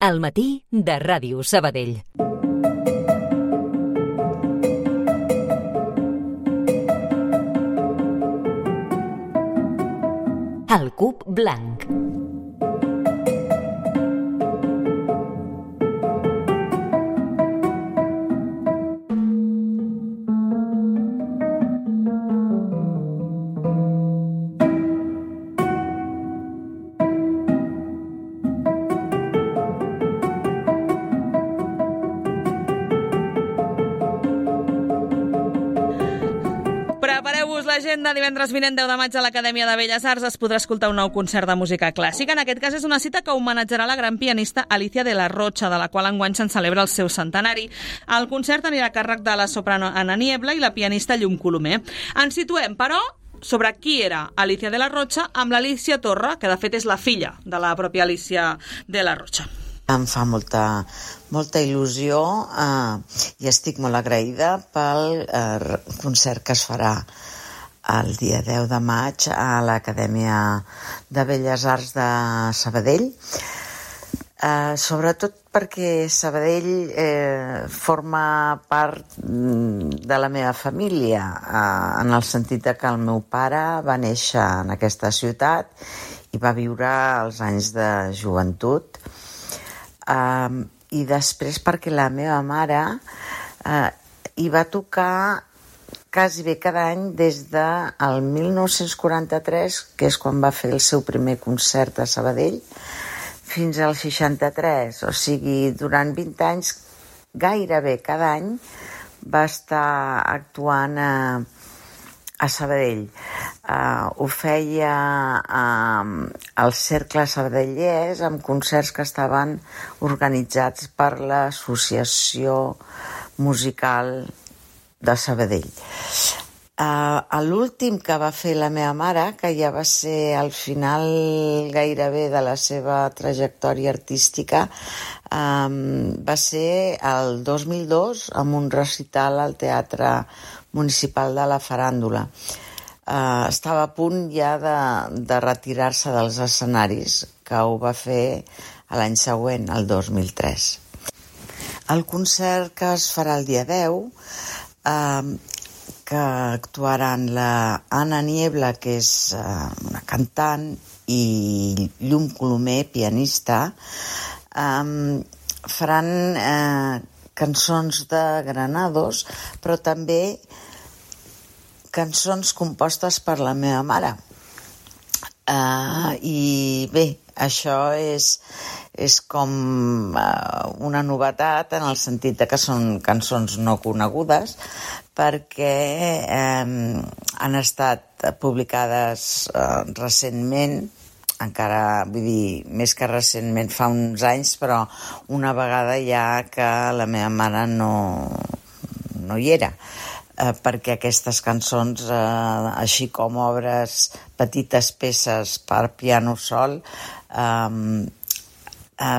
Al matí de Ràdio Sabadell. El cub blanc. Prepareu-vos l'agenda. Divendres vinent 10 de maig a l'Acadèmia de Belles Arts es podrà escoltar un nou concert de música clàssica. En aquest cas és una cita que homenatjarà la gran pianista Alicia de la Rocha, de la qual enguany se'n celebra el seu centenari. El concert anirà a càrrec de la soprano Anna Niebla i la pianista Llum Colomer. Ens situem, però, sobre qui era Alicia de la Rocha amb l'Alícia Torra, que de fet és la filla de la pròpia Alicia de la Rocha. Em fa molta il·lusió i estic molt agraïda pel concert que es farà el dia 10 de maig a l'Acadèmia de Belles Arts de Sabadell. Sobretot perquè Sabadell forma part de la meva família, en el sentit que el meu pare va néixer en aquesta ciutat i va viure els anys de joventut. I després perquè la meva mare hi va tocar quasi bé cada any des del 1943, que és quan va fer el seu primer concert a Sabadell, fins al 63. O sigui, durant 20 anys, gairebé cada any, va estar actuant a Sabadell. Ho feia al Cercle Sabadellès amb concerts que estaven organitzats per l'Associació Musical de Sabadell. L'últim que va fer la meva mare, que ja va ser al final gairebé de la seva trajectòria artística, va ser el 2002 amb un recital al Teatre Municipal de la Faràndula. Estava a punt ja de retirar-se dels escenaris, que ho va fer l'any següent, el 2003. El concert que es farà el dia 10, que actuaran la Anna Niebla, que és una cantant, i Llum Colomer, pianista, faran cançons de Granados, però també cançons compostes per la meva mare. I bé, això és com una novetat en el sentit que són cançons no conegudes, perquè han estat publicades recentment, encara, vull dir, més que recentment, fa uns anys, però una vegada ja que la meva mare no hi era. Perquè aquestes cançons, així com obres, petites peces per piano sol,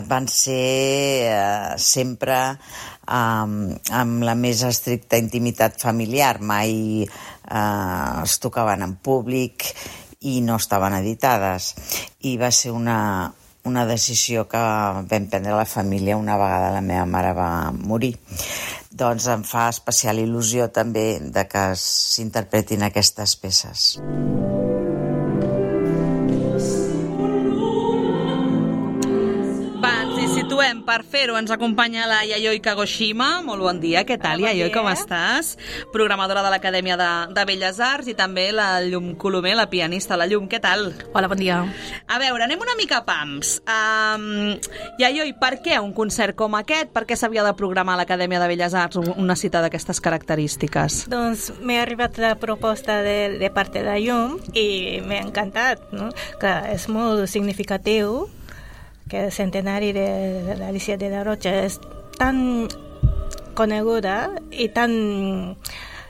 van ser sempre amb la més estricta intimitat familiar. Mai es tocaven en públic i no estaven editades. I va ser una decisió que vam prendre la família una vegada la meva mare va morir. Doncs em fa especial il·lusió també de que s'interpretin aquestes peces. Per fer-ho ens acompanya la Yayoi Kagoshima. Molt bon dia, què tal, Yayoi, com estàs? Programadora de l'Acadèmia de Belles Arts, i també la Llum Colomer, la pianista. La Llum, què tal? Hola, bon dia. A veure, anem una mica a pams. Yayoi, per què un concert com aquest? Per què s'havia de programar a l'Acadèmia de Belles Arts una cita d'aquestes característiques? Doncs m'he arribat la proposta de part de la Llum i m'ha encantat, no? Que és molt significatiu que el centenari de l'Alicia de la Rocha és tan coneguda i tan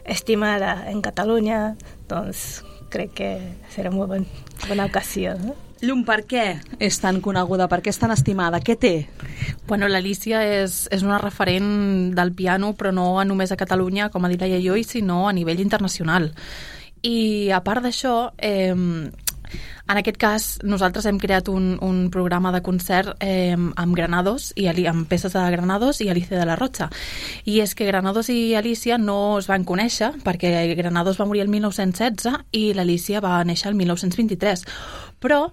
estimada en Catalunya, doncs crec que serà molt bona ocasió, no? Llum, per què és tan coneguda? Per què és tan estimada? Què té? Bueno, l'Alicia és una referent del piano, però no només a Catalunya, com ha dit la Yayoi, sinó a nivell internacional. I a part d'això, En aquest cas, nosaltres hem creat un programa de concert amb Granados, amb peces de Granados i Alicia de la Rocha. I és que Granados i Alicia no es van conèixer, perquè Granados va morir el 1916 i l'Alicia va néixer el 1923. Però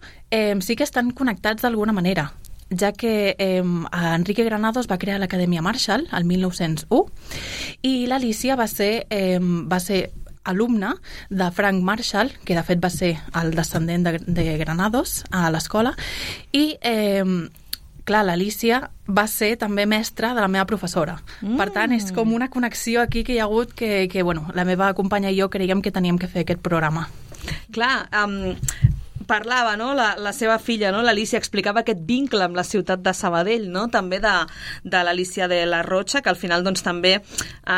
sí que estan connectats d'alguna manera, ja que Enrique Granados va crear l'Acadèmia Marshall el 1901 i l'Alicia va ser alumne de Frank Marshall, que de fet va ser el descendent de Granados a l'escola, i clar, l'Alicia va ser també mestra de la meva professora. Per tant, és com una connexió aquí que hi ha hagut que bueno, la meva companya i jo creiem que teníem que fer aquest programa. Clar, parlava, no? La seva filla, no? L'Alicia, explicava aquest vincle amb la ciutat de Sabadell, no? També de l'Alicia de la Rocha, que al final doncs, també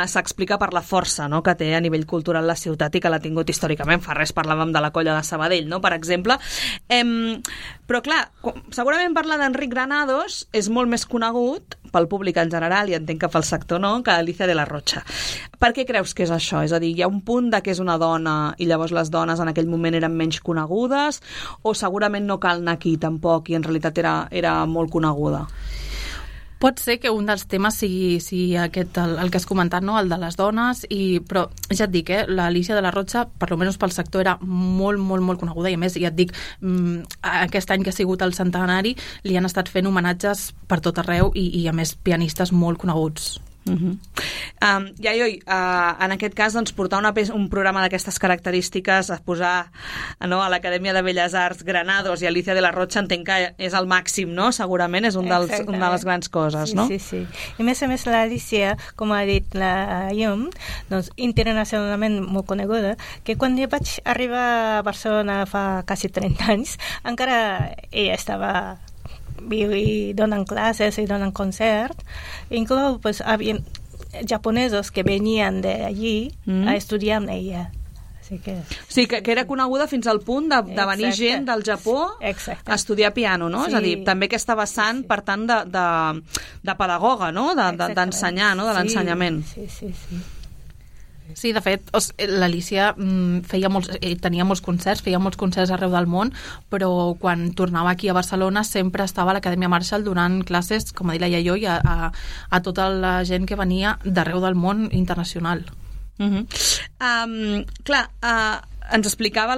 s'explica per la força, no? Que té a nivell cultural la ciutat i que l'ha tingut històricament. Fa res parlàvem de la colla de Sabadell, no? Per exemple. Però clar, segurament parlar d'Enric Granados és molt més conegut pel públic en general, i entenc que pel sector no, que Alicia de la Rocha. Per què creus que és això? És a dir, hi ha un punt de que és una dona i llavors les dones en aquell moment eren menys conegudes, o segurament no cal anar aquí tampoc i en realitat era molt coneguda? Pot ser que un dels temes sigui aquest, el que has comentat, no? El de les dones, però ja et dic, l'Alicia de la Rocha, per almenys pel sector, era molt, molt, molt coneguda, i a més, ja et dic, aquest any que ha sigut el centenari li han estat fent homenatges per tot arreu i a més pianistes molt coneguts. En aquest cas doncs, portar un programa d'aquestes característiques, a posar a l'Acadèmia de Belles Arts Granados i Alicia de la Rocha, entenc que és el màxim, no? Segurament és una de les grans coses, no? Sí. I més a més l'Alicia, com ha dit la Llum, doncs internacionalment molt coneguda, que quan jo vaig arribar a Barcelona fa quasi 30 anys, encara ella estava i donen classes i donen concert. Inclou, pues, havia japonesos que venien d'allí a estudiar amb ella. Sí, que era coneguda fins al punt de venir gent del Japó a estudiar piano, no? Sí. És a dir, també aquesta vessant, per tant, de pedagoga, no? D'ensenyar, no? De l'ensenyament. Sí. Sí, de fet, l'Alicia tenia molts concerts arreu del món, però quan tornava aquí a Barcelona sempre estava a l'Acadèmia Marshall donant classes, com ha dit la Iaió, a tota la gent que venia d'arreu del món internacional. Clar, ens explicava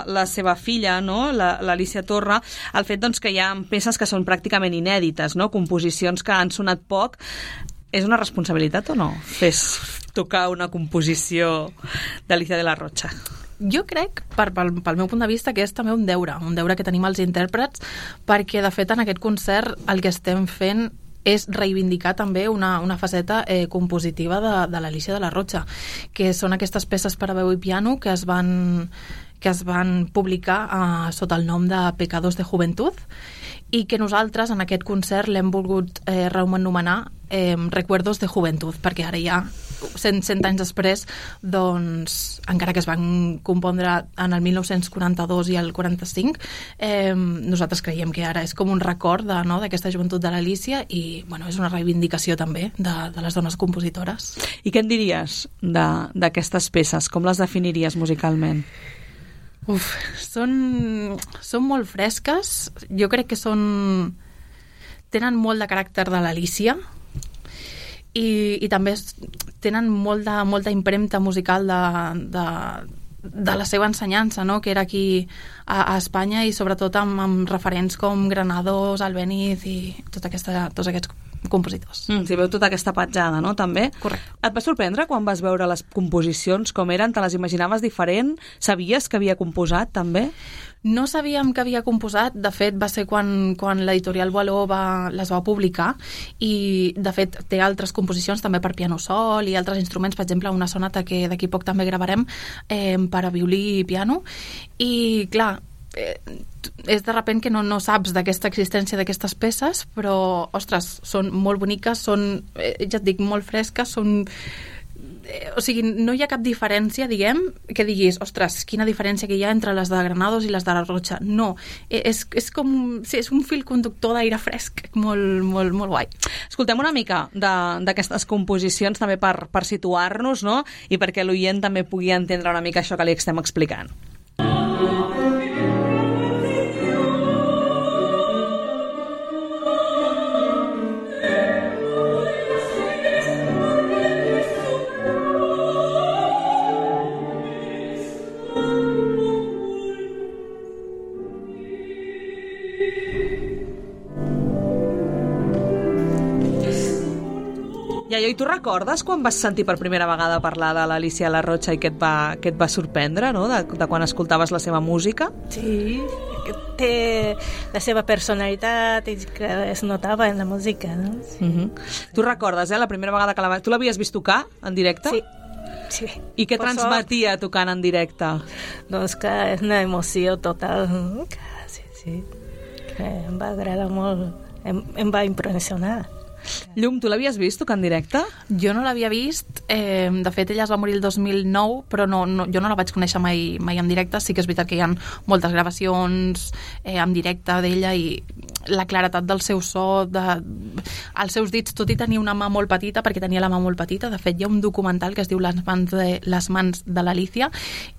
la seva filla, no? l'Alicia Torra, el fet doncs, que hi ha peces que són pràcticament inèdites, no? Composicions que han sonat poc. És una responsabilitat o no tocar una composició d'Alicia de la Rocha? Jo crec, pel meu punt de vista, que és també un deure que tenim els intèrprets, perquè de fet en aquest concert el que estem fent és reivindicar també una faceta compositiva de l'Alicia de la Rocha, que són aquestes peces per a veu i piano que es van publicar sota el nom de Pecados de Juventud, i que nosaltres en aquest concert l'hem volgut reanomenar Recuerdos de Juventud, perquè ara ja 100 anys després, doncs, encara que es van compondre en el 1942 i el 45, nosaltres creiem que ara és com un record d'aquesta joventut de l'Alicia i bueno, és una reivindicació també de les dones compositores. I què en diries d'aquestes peces? Com les definiries musicalment? Són molt fresques. Jo crec que tenen molt de caràcter de l'Alicia i també tenen molta impremta musical de la seva ensenyança, no? Que era aquí a Espanya, i sobretot amb referents com Granados, Albéniz i tots aquests compositors. Si veu tota aquesta petjada, no? També. Correcte. Et va sorprendre quan vas veure les composicions com eren? Te les imaginaves diferent? Sabies que havia composat també? No sabíem que havia composat. De fet, va ser quan l'editorial Boileau les va publicar, i de fet té altres composicions també per piano sol i altres instruments, per exemple una sonata que d'aquí poc també gravarem per a violí i piano, i clar, és de repent que no saps d'aquesta existència d'aquestes peces, però, ostres, són molt boniques, són, ja et dic, molt fresques, o sigui, no hi ha cap diferència, diguem, que diguis, ostres, quina diferència que hi ha entre les de Granados i les de la Rocha. No, és com, sí, és un fil conductor d'aire fresc, molt, molt, molt guai. Escoltem una mica d'aquestes composicions també per situar-nos, no? I perquè l'oient també pugui entendre una mica això que li estem explicant. I tu recordes quan vas sentir per primera vegada parlar de l'Alícia La Rocha i que et va sorprendre, no?, de quan escoltaves la seva música? Sí, té la seva personalitat i que es notava en la música, no? Sí. Tu recordes, la primera vegada que tu l'havies vist tocar en directe? Sí. I què transmetia tocant en directe? Doncs que és una emoció total. Sí. Que em va agradar molt, em va impressionar. Llum, tu l'havies vist tocar en directe? Jo no l'havia vist, de fet ella es va morir el 2009, però jo no la vaig conèixer mai en directe. Sí que és veritat que hi ha moltes gravacions en directe d'ella i la claretat del seu so, els seus dits, tot i tenir una mà molt petita, perquè tenia la mà molt petita. De fet, hi ha un documental que es diu Les mans de l'Alícia,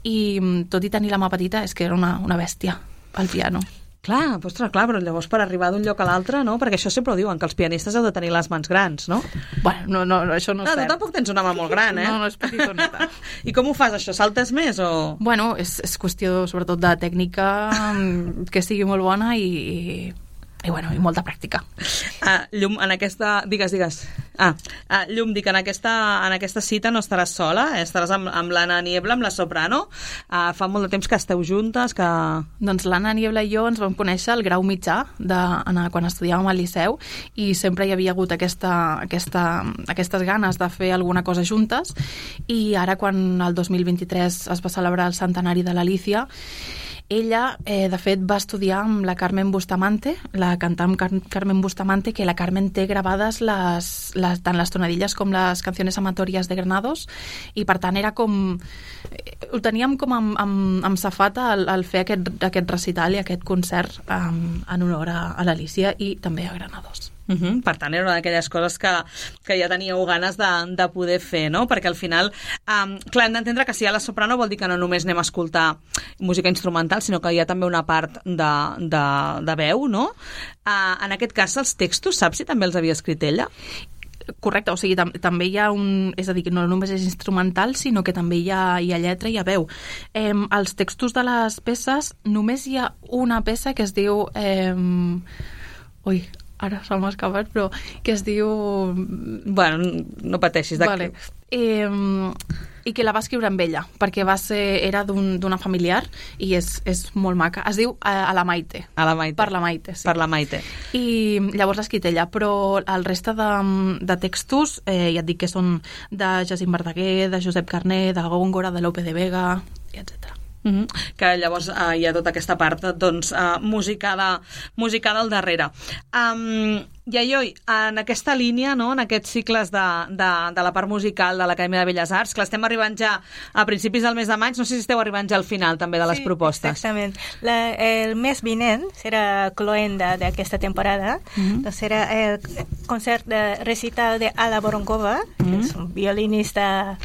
i tot i tenir la mà petita és que era una bèstia al piano. Clar, però llavors per arribar d'un lloc a l'altre, no? Perquè això sempre ho diuen, que els pianistes heu de tenir les mans grans, no? Bueno, no, això no és cert. Tu tampoc tens una mà molt gran, No, és petitoneta. I com ho fas, això? Saltes més o...? Bueno, és qüestió, sobretot, de tècnica, que sigui molt bona i molta pràctica. Llum, en aquesta... Digues. Llum, dic, en aquesta cita no estaràs sola, estaràs amb l'Anna Niebla, amb la soprano. Fa molt de temps que esteu juntes, que... Doncs l'Anna Niebla i jo ens vam conèixer al grau mitjà quan estudiàvem al Liceu, i sempre hi havia hagut aquestes ganes de fer alguna cosa juntes, i ara quan el 2023 es va celebrar el centenari de l'Alícia, ella, de fet, va estudiar amb la Carmen Bustamante, la cantant Carmen Bustamante, que la Carmen té gravades tant les tonadilles com les canciones amatorias de Granados, i per tant era com... Ho teníem com amb safata al fer aquest recital i aquest concert en honor a l'Alícia i també a Granados. Per tant, era una d'aquelles coses que ja teníeu ganes de poder fer, no? Perquè al final, clar, hem d'entendre que si hi ha la soprano vol dir que no només anem a escoltar música instrumental, sinó que hi ha també una part de veu, no? En aquest cas, els textos, saps si també els havia escrit ella? Correcte, o sigui, també hi ha és a dir, que no només és instrumental, sinó que també hi ha lletra i hi ha veu. Els textos de les peces, només hi ha una peça que es diu... Ara se m'ha escapat, però que es diu... Bueno, no pateixis. Vale. I que la va escriure amb ella, perquè era d'una familiar i és molt maca. Es diu A la Maite. A la Maite. Per la Maite, sí. Per la Maite. I llavors l'ha escrit ella, però el reste de textos, ja et dic que són de Jacint Verdaguer, de Josep Carner, de Góngora, de Lope de Vega, i etc. Que llavors hi ha tota aquesta part musicada al darrere. Iaioi, en aquesta línia, no, en aquests cicles de la part musical de l'Acadèmia de Belles Arts, que estem arribant ja a principis del mes de maig, no sé si esteu arribant ja al final també de les propostes. Exactament. El mes vinent serà cloenda d'aquesta temporada, doncs serà el concert de recital de Ala Voronkova, que és un violinista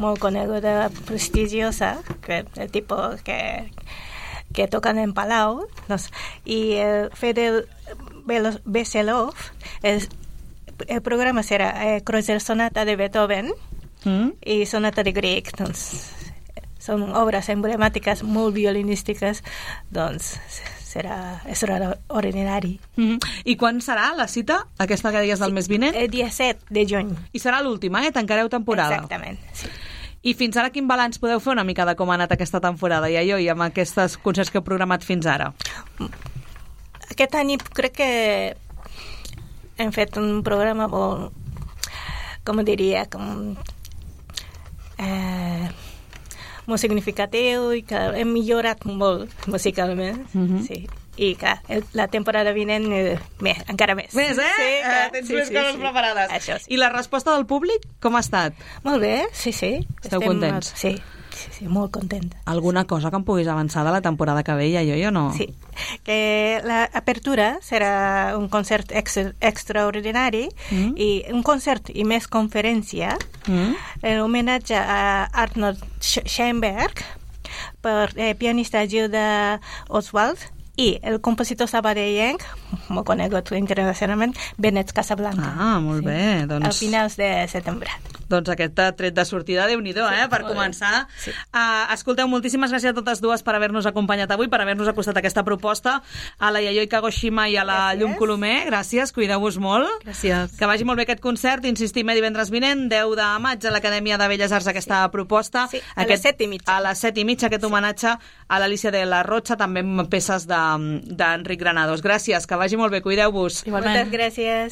molt coneguda, prestigiosa, el tipus que tocan en Palau, i Fedel Veselov, el programa serà Kreutzer Sonata de Beethoven i Sonata de Grieg, doncs són obres emblemàtiques molt violinístiques, doncs serà extraordinari. I quan serà la cita, aquesta que deies del mes vinent? El dia 7 de juny. I serà l'última, tancareu temporada. Exactament, sí. I fins ara quin balanç podeu fer una mica de com ha anat aquesta temporada, Iaioi, amb aquests concerts que heu programat fins ara? Aquest any crec que hem fet un programa molt, com diria, molt significatiu i que hem millorat molt musicalment, sí. I que la temporada vinent encara més. Més, Sí, tens més coses preparades. Això sí. I la resposta del públic, com ha estat? Molt bé, sí. Esteu contents? Sí, molt contenta. Alguna cosa que em puguis avançar de la temporada que ve, Iaioi, o no? Sí, que l'apertura serà un concert extraordinari i un concert i més conferència en homenatge a Arnold Schoenberg per pianista Gilda Oswald i el compositor sabadellenc, molt conegut internacionalment, Benet Casablanca. Molt bé. Doncs... A finals de setembre. Doncs aquest tret de sortida, Déu-n'hi-do, per començar. Sí. Escolteu, moltíssimes gràcies a totes dues per haver-nos acompanyat avui, per haver-nos acostat aquesta proposta, a la Yayoi Kagoshima i a la Llum Colomer. Gràcies, cuideu-vos molt. Gràcies. Que vagi molt bé aquest concert. Insistim, divendres vinent, 10 de maig, a l'Acadèmia de Belles Arts, aquesta proposta. Sí, a les 7:30. A les 7:30, aquest homenatge a l'Alicia de la Rocha, també amb peces d'Enric Granados. Gràcies, que vagi molt bé, cuideu-vos. Igualment. Moltes gràcies.